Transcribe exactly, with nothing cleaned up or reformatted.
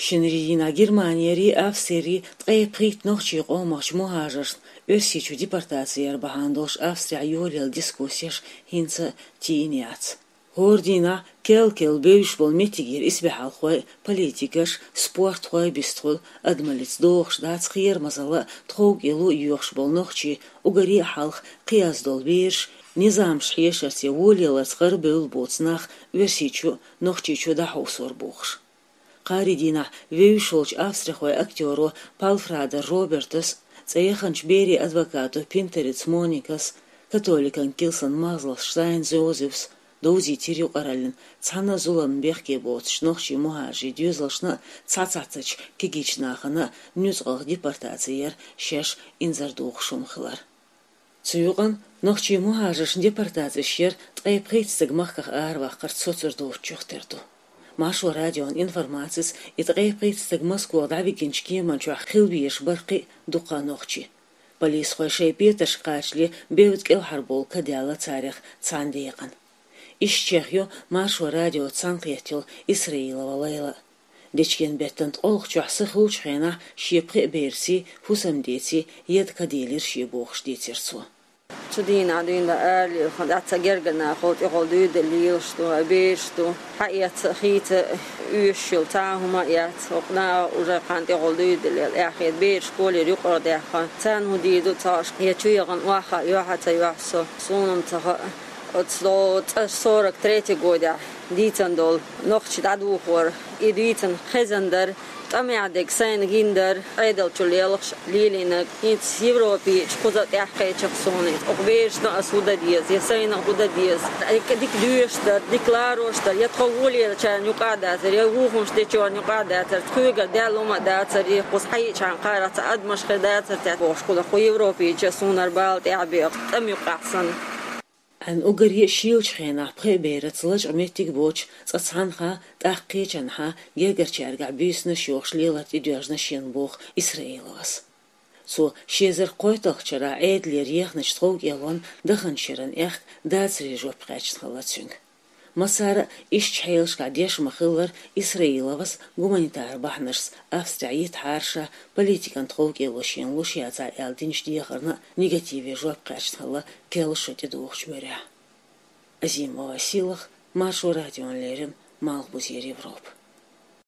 Шинарин дийнахь Германери Австрери ткъе пхийтта нохчийн къомахчу мухӀажаршна Оьрсийчу депортаци яр бахьана долуш Австрехь йолаелла дискуссеш хӀинца а тийна яц. ХӀора дийнахь кел-кел бевзаш болу меттигера исбаьхьалхой, политикаш, спортхой бистхуьлу, адамаллица догӀуш дац кхерамазалла а, тховкӀело а йоьхуш болу нохчий, уггаре а хьалха кхиаз долу бераш, низамаш хьешарца я волаяларца гӀарабевлла боцу нах Оьрсийчу, Нохчийчу дӀахьовсор бохуш. Кхаарин дийнахь вевзаш волчу австрихойн актёро Палфрадар Робертас, цӀе яханчу берийн адвокато Пинтериц Моникас, католикан килсан махзаллас Штайн Зозефс довзийтира юкъараллин цхьана а зуламна бехке боцучу нохчийн мухӀажарийн доьзалшна а, цхьацца цхьаьнакхеттачу кегийчу нахана а нуьцкъала депортаци яр шаьш инзаре дохуш хӀума хилар. Цу юкъана нохчийн мухӀажаршна депортацеш яр ткъе пхийтта стаг махках араваккхарца соцур доцучух тера ду. Маршо радион информацица, и ткъе пхийтта стаг Москвахь дӀавигинчу кеман чохь хила везаш бара кхин а дуккха а нохчий. Полисхой шайн петаршка кхачале бевдда кӀелхьарбовла ка даьлла царах цхьана декъана. Иштачех ю Маршо радиоца цхьаьнакхетта йолу Исраилова Лайла. Дечкен беттан ткъолгӀачохь са хуьлучу хенахь шен пхеа берций, хӀусамдеций еда ка делира шен бохуш дийцира цо. Цу дийнахь дуьйна дан ара лелахь, дӀа ца гергара нахала тӀехула дуьйр дан лелаш ду, бераш ду. Хьаэца а, хийца а оьшуш йолу цхьа а хӀума а яц. ХӀокху наха уже кхана тӀехула дуьйр дан лела. Эхь хета бераш школера юкъара даьхна. Царна хӀун дийр ду ца хууш, я чу яхана охьахаа йохьа а ца йохьу со, суна-м ца хаьа. Оцу цӀа сорок третий годехь дийцина долу нохчий дӀадохор, и дийцина хезна дара, тӀамехь дерг сайна гина дара, Ӏедал чу лелхаш лелийнарг, хӀинца Европехь кхуза тӀаьхьакхечира суна иза. Оха берашна а ас хӀун дан деза, я сайна а хӀун дан деза. Дика, дика доьшуш дара, дика ларош дара, я тхо волаеллачарна юкъахь дацара, я вукхунаш дечарна юкъахь дацара, кхуьнгара даьлла хӀума а дацара, я кхуза хьаьжча кхара цхьа адамаш хир дацара те бохуш, кхуза кху Европехь суна бала тӀаьхьабехаш, тӀам юкъахь санна. Ӏан уггаре а шийлачу хенахь пхеа бераца лачкъа меттиг а боцуш, цкъа цхьанхьа, тӀаккха кхечанхьа гергарчаьргахь буьйсанаш йохуш лелар тӀедоьжна шена боху Исраиловас. Цо ши эзар кхойтталгӀачу шарахь Ӏедалера ехначу тховкӀелонан даханчу шеран аьхка дацаре жоп кхаьчна хилла цуьнга. Массара а иштачу хьелашкахь деш ма-хиллара, Исраиловас гуманитар бахьанашца Австрехь йитахьара ша, политикан тховкӀело шена луш яцахьара аьлла динчу дехарна а негативе жоп кхаьчна хилла керла шо тӀедогӀучу муьрехь. Азимова Сийлаха, Маршо радиона леррина, Малхбузера Европа.